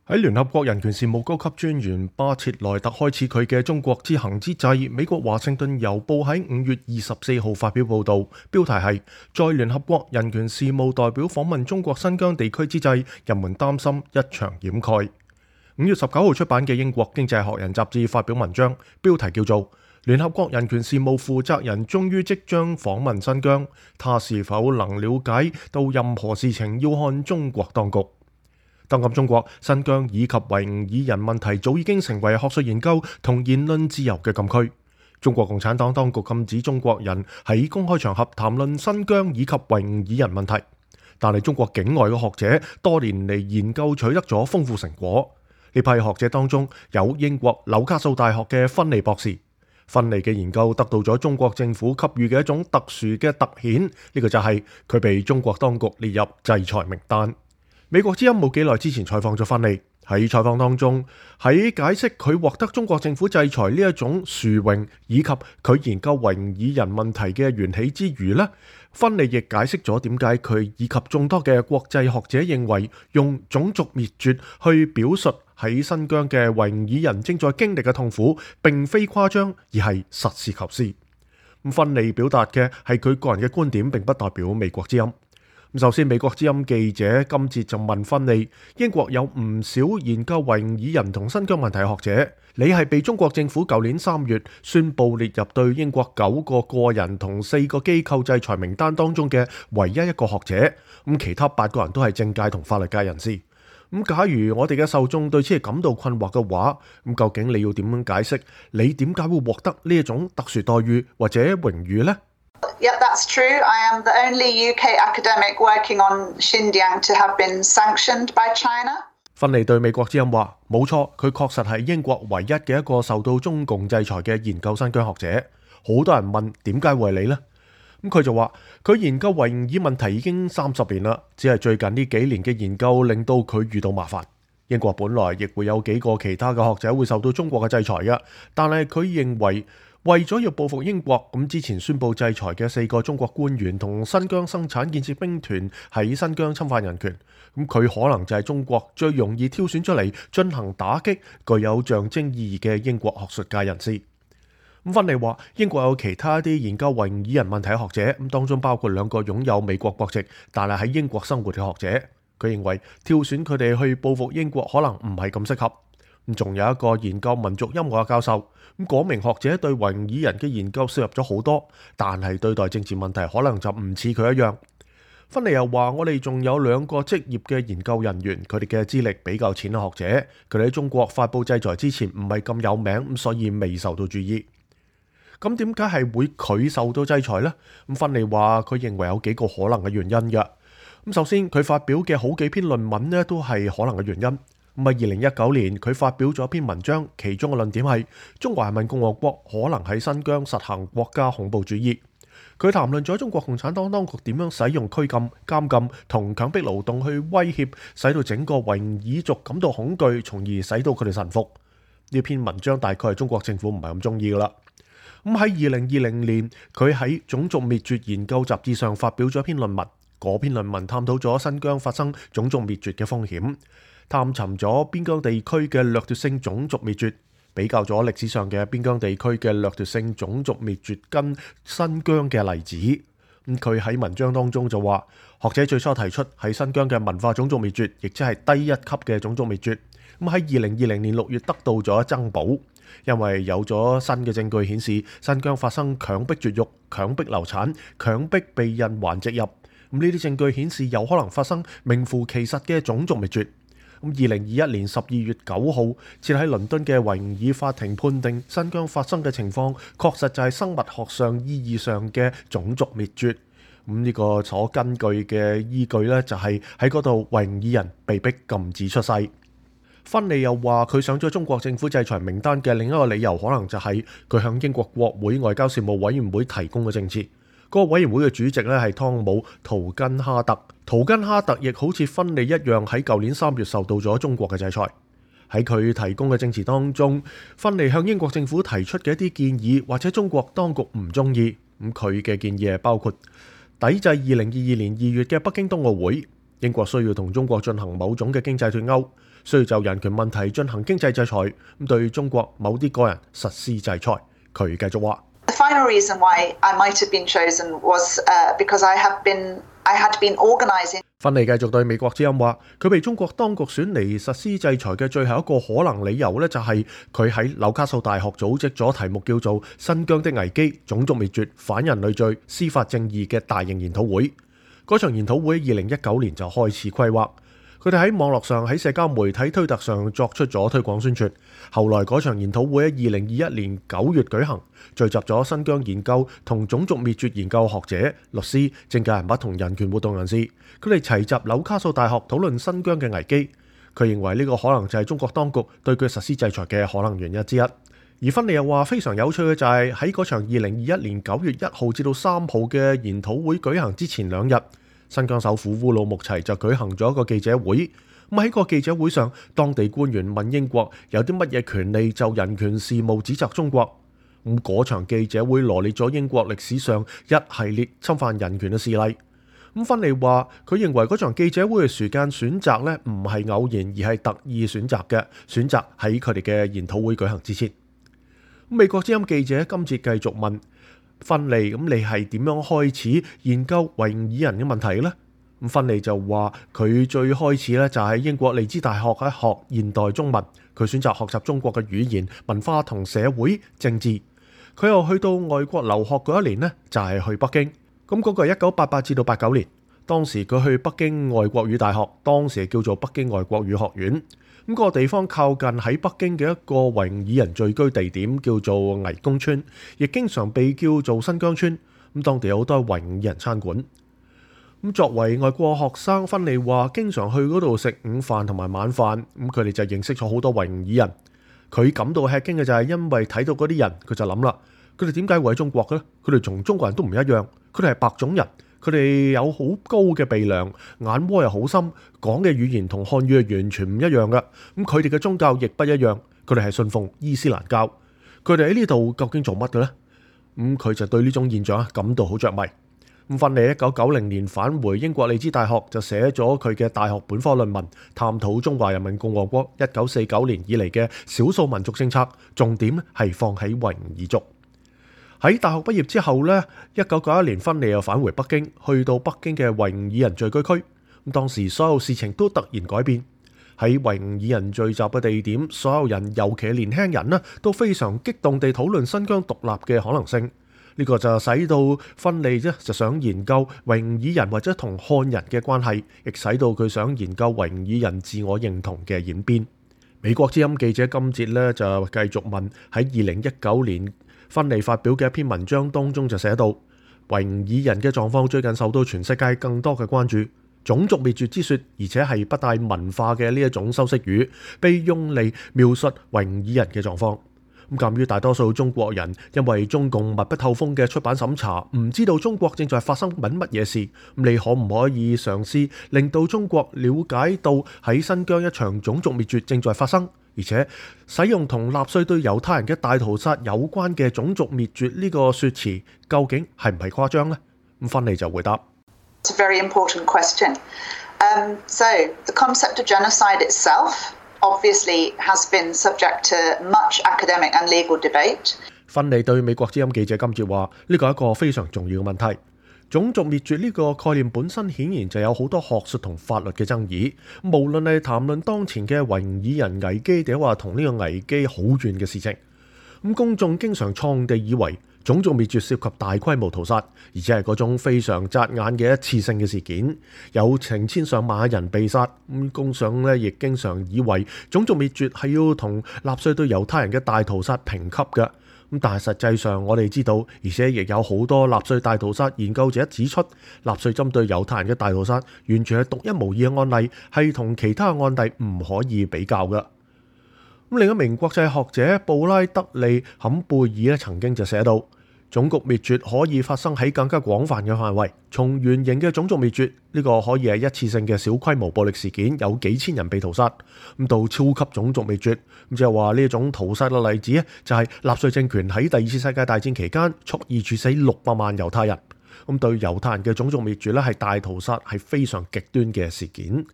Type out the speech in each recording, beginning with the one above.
喺聯合國人權事務高級專員巴切萊特開始佢嘅中國之行之際，美國華盛頓郵報喺5月24號發表報導，標題係在聯合國人權事務代表訪問中國新疆地區之際，人們擔心一場掩蓋。5月19號出版嘅英國經濟學人雜誌發表文章，標題叫做聯合國人權事務負責人終於即將訪問新疆，他是否能了解到任何事情要看中國當局。當今中國、新疆以及維吾爾人問題早已經成為學術研究同言論自由嘅禁區。中國共產黨當局禁止中國人喺公開場合談論新疆以及維吾爾人問題，但係中國境外嘅學者多年嚟研究取得咗豐富成果。呢批學者當中有英國紐卡素大學嘅芬利博士。芬利嘅研究得到咗中國政府給予嘅一種特殊嘅特顯，呢個就係佢被中國當局列入制裁名單。美國之音冇幾耐之前採訪咗芬利，喺採訪當中喺解釋佢獲得中國政府制裁呢一種殊榮以及佢研究維吾爾人問題嘅緣起之餘呢，芬利亦解釋咗點解佢以及眾多嘅國際學者認為用種族滅絕去表述喺新疆嘅維吾爾人正在經歷嘅痛苦，並非誇張，而係實事求是。芬利表達嘅係佢個人嘅觀點，並不代表美國之音。首先，美國之音記者今次就問芬利：英國有唔少研究維吾爾人同新疆問題嘅學者，你係被中國政府舊年3月宣布列入對英國9個個人同4個機構制裁名單當中嘅唯一一個學者，其他8個人都係政界同法律界人士。假如我哋嘅受眾對此係感到困惑嘅話，究竟你要點樣解釋你點解會獲得呢一種特殊待遇或者榮譽呢？Yeah, that's true. I am the only UK academic working on Xinjiang to have been sanctioned by China. 芬利對美國之音話：冇錯，佢確實係英國唯一嘅一個受到中共制裁嘅研究新疆學者。好多人問點解會係你呢？佢就話佢研究維吾爾問題已經30年啦，只係最近呢幾年嘅研究令到佢遇到麻煩。英國本來亦會有幾個其他嘅學者會受到中國嘅制裁嘅，但係佢認為咗要報復英國，之前宣布制裁嘅4個中國官員同新疆生產建設兵團喺新疆侵犯人權，佢可能就係中國最容易挑選出嚟進行打擊、具有象徵意義嘅英國學術界人士。芬利話英國有其他啲研究維吾爾人問題嘅學者，當中包括2個擁有美國國籍但係喺英國生活嘅學者。佢認為挑選佢哋去報復英國可能唔係咁適合。仲有一個研究民族音樂嘅教授，嗰名學者對維吾爾人嘅研究涉入咗好多，但係對待政治問題可能就唔似佢一樣。芬利又話我哋仲有2個職業嘅研究人員，佢哋嘅資歷比較淺嘅學者，佢哋喺中國發佈制裁之前唔係咁有名，所以未受到注意。咁點解係會佢受到制裁呢？芬利話佢認為有幾個可能嘅原因嘅。首先，佢發表嘅好幾篇論文呢都係可能嘅原因。2019年佢發表咗一篇文章，其中嘅論點係中華人民共和國可能喺新疆實行國家恐怖主義。佢談論咗中國共產黨當局點樣使用拘禁、監禁同強迫勞動去威脅，使到整個維吾爾族感到恐懼，從而使到佢哋臣服。呢篇文章大概係中國政府唔係咁中意噶啦。喺2020年，佢喺種族滅絕研究雜誌上發表咗一篇論文，嗰篇論文探討咗新疆發生種族滅絕嘅風險，探尋咗邊疆地區嘅掠奪性種族滅絕，比較咗歷史上嘅邊疆地區嘅掠奪性種族滅絕跟新疆嘅例子。佢喺文章當中就話，學者最初提出喺新疆嘅文化種族滅絕，亦即係低一級嘅種族滅絕。喺2020年6月得到咗增補，因為有咗新嘅證據顯示新疆發生強迫絕育、強迫流產、強迫被孕還植入。呢啲證據顯示有可能發生名副其實嘅種族滅絕。2021年12月9號，設喺倫敦嘅維吾爾法庭判定新疆發生嘅情況確實就係生物學上意義上嘅種族滅絕。呢個所根據嘅依據呢，就係喺嗰度維吾爾人被逼禁止出世。芬利又話佢上咗中國政府制裁名單嘅另一個理由，可能就係佢向英國國會外交事務委員會提供嘅證詞。嗰個委員會嘅主席咧係湯姆·圖根哈特。圖根哈特亦好似芬利一樣，喺舊年3月受到咗中國嘅制裁。喺佢提供嘅證詞當中，芬利向英國政府提出嘅一啲建議，或者中國當局唔中意。佢嘅建議係包括抵制2022年2月嘅北京冬奧會，英國需要同中國進行某種嘅經濟脫鈎。需要就人權問題進行經濟制裁，咁對中國某啲個人實施制裁。佢繼續話：The final reason why I might have been chosen was because I had been organising。芬利繼續對美國之音話，佢被中國當局選嚟實施制裁嘅最後一個可能理由呢，就係佢喺紐卡素大學組織咗題目叫做《新疆的危機：種族滅絕、反人類罪、司法正義》嘅大型研討會。嗰場研討會2019年就開始規劃，佢哋喺網絡上、喺社交媒體推特上作出咗推廣宣傳。後來嗰場研討會喺2021年9月舉行，聚集咗新疆研究同種族滅絕研究學者、律師、政界人物同人權活動人士，佢哋齊集紐卡素大學討論新疆嘅危機。佢認為呢個可能就係中國當局對佢實施制裁嘅可能原因之一。而芬利又話非常有趣嘅就係喺嗰場2021年9月1號至到3號嘅研討會舉行之前2日，新疆首府烏魯木齊就舉行咗一個記者會。咁喺個記者會上，當地官員問英國有啲乜嘢權利就人權事務指責中國。咁嗰場記者會羅列咗英國歷史上一系列侵犯人權嘅事例。咁芬利話佢認為嗰場記者會嘅時間選擇呢唔係偶然，而係特意選擇嘅，選擇喺佢哋嘅研討會舉行之前。美國之音記者今次繼續問芬利：咁你係點樣開始研究維吾爾人嘅問題呢？咁芬利就話佢最開始咧就喺英國利茲大學喺學現代中文，佢選擇學習中國嘅語言、文化同社會政治。佢又去到外國留學嗰一年呢，就係去北京。咁嗰個係1988至到89年，當時佢去北京外國語大學，當時叫做北京外國語學院。咁嗰個地方靠近喺北京嘅一個維吾爾人聚居地點，叫做倪公村，亦經常被叫做新疆村。咁當地有好多維吾爾人餐館。咁作為外國學生，芬利話經常去嗰度食午飯同埋晚飯，咁佢哋就認識咗好多維吾爾人。佢感到吃驚嘅就係因為睇到嗰啲人，佢就諗啦，佢哋點解會喺中國嘅咧？佢哋同中國人都唔一樣，佢哋係白種人，佢哋有好高嘅鼻梁，眼窩又好深，講嘅語言同漢語係完全唔一樣嘅。咁佢哋嘅宗教亦不一樣，佢哋係信奉伊斯蘭教。佢哋喺呢度究竟做乜嘅咧？咁佢就對呢種現象感到好着迷。咁芬利1990年返回英國利茲大學，就寫咗佢嘅大學本科論文，探討中華人民共和國1949年以嚟嘅少數民族政策，重點係放喺維吾爾族。喺大學畢業之後呢，1991年芬利又返回北京，去到北京嘅維吾爾人聚居區。咁當時所有事情都突然改變，喺維吾爾人聚集嘅地點，所有人，尤其係年輕人呢，都非常激動地討論新疆獨立嘅可能性。呢個就使到芬利就想研究維吾爾人或者同漢人嘅關係，亦使到佢想研究維吾爾人自我認同嘅演變。美國之音記者今節呢就繼續問，喺2019年芬利發表嘅一篇文章當中就寫到，維吾爾人嘅狀況最近受到全世界更多嘅關注，種族滅絕之說，而且係不帶文化嘅呢一種修飾語，被用嚟描述維吾爾人嘅狀況。咁鑑於大多數中國人因為中共密不透風嘅出版審查，唔知道中國正在發生緊乜嘢事，你可唔可以嘗試令到中國了解到喺新疆一場種族滅絕正在發生，而且使用同納粹對猶太人嘅大屠殺有關嘅種族滅絕呢個說辭，究竟係唔係誇張呢？咁芬利就回答：It's a very important question. So the concept of genocide itself obviously has been subject to much academic and legal debate. 芬利對美國之音記者今節話：呢個係一個非常重要嘅問題。種族滅絕呢個概念本身顯然就有好多學術同法律嘅爭議。無論係談論當前嘅維吾爾人危機，定話同呢個危機好遠嘅事情。咁公眾經常錯誤地以為種族滅絕涉及大規模屠殺，而且係嗰種非常扎眼嘅一次性嘅事件，有成千上萬人被殺。公眾咧亦經常以為種族滅絕係要同納粹對猶太人嘅大屠殺評級嘅。但係實際上我哋知道，而且亦有好多納粹大屠殺研究者指出，納粹針對猶太人嘅大屠殺完全係獨一無二嘅案例，係同其他案例唔可以比較嘅。另一名國際學者布拉德利·坎貝爾曾經就寫到，種族滅絕可以發生喺更加廣泛嘅範圍，從原型嘅種族滅絕呢個可以係一次性嘅小規模暴力事件，有幾千人被屠殺，到超級種族滅絕，即係話呢一種屠殺嘅例子就係納粹政權喺第二次世界大戰期間蓄意處死600萬猶太人。對猶太人嘅種族滅絕係大屠殺，係非常極端嘅事件。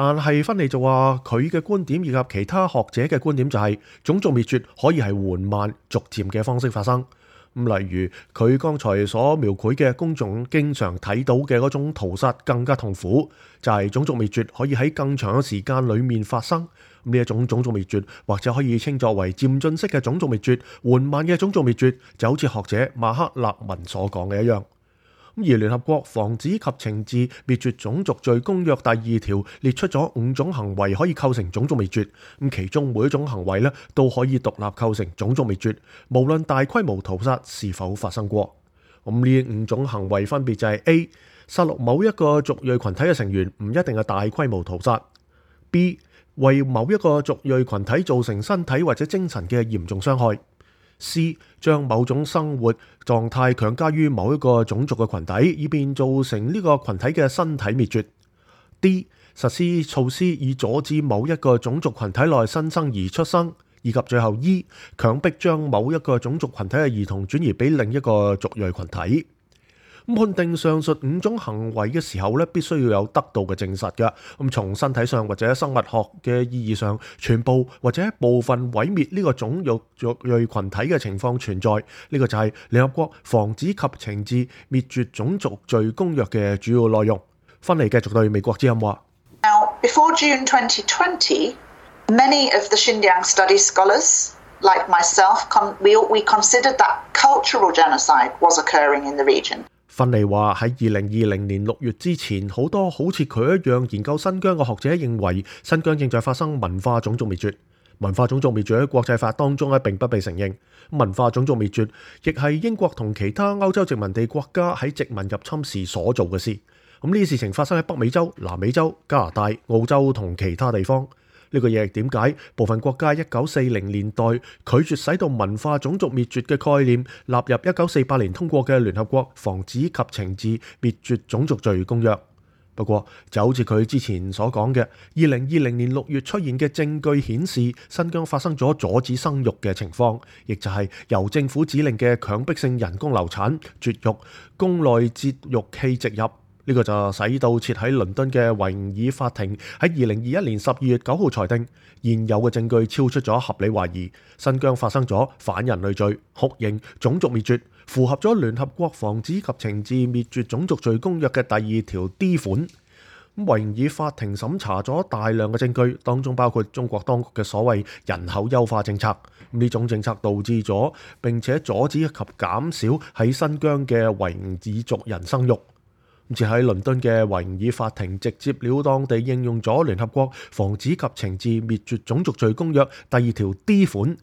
但係芬利就話佢嘅觀點以及其他學者嘅觀點就係種族滅絕可以係緩慢逐漸嘅方式發生。例如佢剛才所描繪嘅公眾經常睇到嘅嗰種屠殺更加痛苦，就係種族滅絕可以喺更長嘅時間裡面發生。呢一種種族滅絕或者可以稱作為漸進式嘅種族滅絕，緩慢嘅種族滅絕就好似學者馬克勒文所講嘅一樣。而聯合國防止及懲治滅絕種族罪公約第2條列出咗5種行為可以構成種族滅絕，其中每一種行為都可以獨立構成種族滅絕，無論大規模屠殺是否發生過。呢5種行為分別就係 A. 殺戮某一個族裔群體嘅成員，唔一定係大規模屠殺。 B. 為某一個族裔群體造成身體或者精神嘅嚴重傷害。C. 將某種生活狀態強加於某一個種族嘅群體，以便造成呢個群體嘅身體滅絕。D. 實施措施以阻止某一個種族群體內新生兒出生，以及最後 E. 強迫將某一個種族群體嘅兒童轉移俾另一個族裔群體。判定上述5種行為嘅時候必須要有得到嘅證實嘅。從身體上或者生物學嘅意義上，全部或者部分毀滅呢個種族裔群體嘅情況存在，呢個就係聯合國防止及懲治滅絕種族罪公約嘅主要內容。芬利繼續對美國之音話：Now, before June 2020, many of the Xinjiang study scholars, like myself, we considered that cultural genocide was occurring in the region。芬利話喺2020年6月之前，好多好似佢一樣研究新疆嘅學者認為新疆正在發生文化種族滅絕。文化種族滅絕喺國際法當中並不被承認。文化種族滅絕亦係英國同其他歐洲殖民地國家喺殖民入侵時所做嘅事。呢啲事情發生喺北美洲、南美洲、加拿大、澳洲同其他地方。呢個亦係點解部分國家1940年代拒絕使到文化種族滅絕嘅概念納入1948年通過嘅聯合國防止及懲治滅絕種族罪公約。不過就好似佢之前所講嘅，2020年6月出現嘅證據顯示新疆發生咗阻止生育嘅情況，亦就係由政府指令嘅強迫性人工流產、絕育、宮內節育器植入。呢個就使到設喺倫敦嘅維吾爾法庭喺2021年12月9號裁定，現有嘅證據超出咗合理懷疑，新疆發生咗反人類罪、酷刑、種族滅絕，符合咗聯合國防止及懲治滅絕種族罪公約嘅第2條 D 款。維吾爾法庭審查咗大量嘅證據，當中包括中國當局嘅所謂人口優化政策。呢種政策導致咗並且阻止及減少喺新疆嘅維吾爾族人生育。設喺倫敦嘅維吾爾法庭直接了當地應用咗聯合國防止及懲治滅絕種族罪公約第2條 D 款，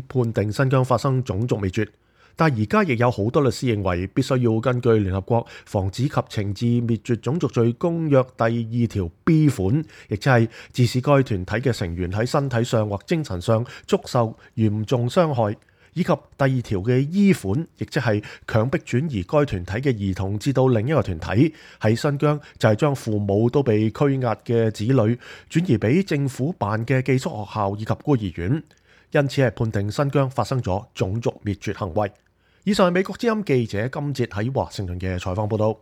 判定新疆發生種族滅絕。但而家亦有好多律師認為必須要根據聯合國防止及懲治滅絕種族罪公約第2條 B 款，亦即係致使該團體嘅成員喺身體上或精神上遭受嚴重傷害，以及第2條嘅 E 款，亦即係強迫轉移該團體嘅兒童至到另一個團體。喺新疆就係將父母都被拘押嘅子女轉移俾政府辦嘅寄宿學校以及孤兒院，因此係判定新疆發生咗種族滅絕行為。以上係美國之音記者今節喺華盛頓嘅採訪報道。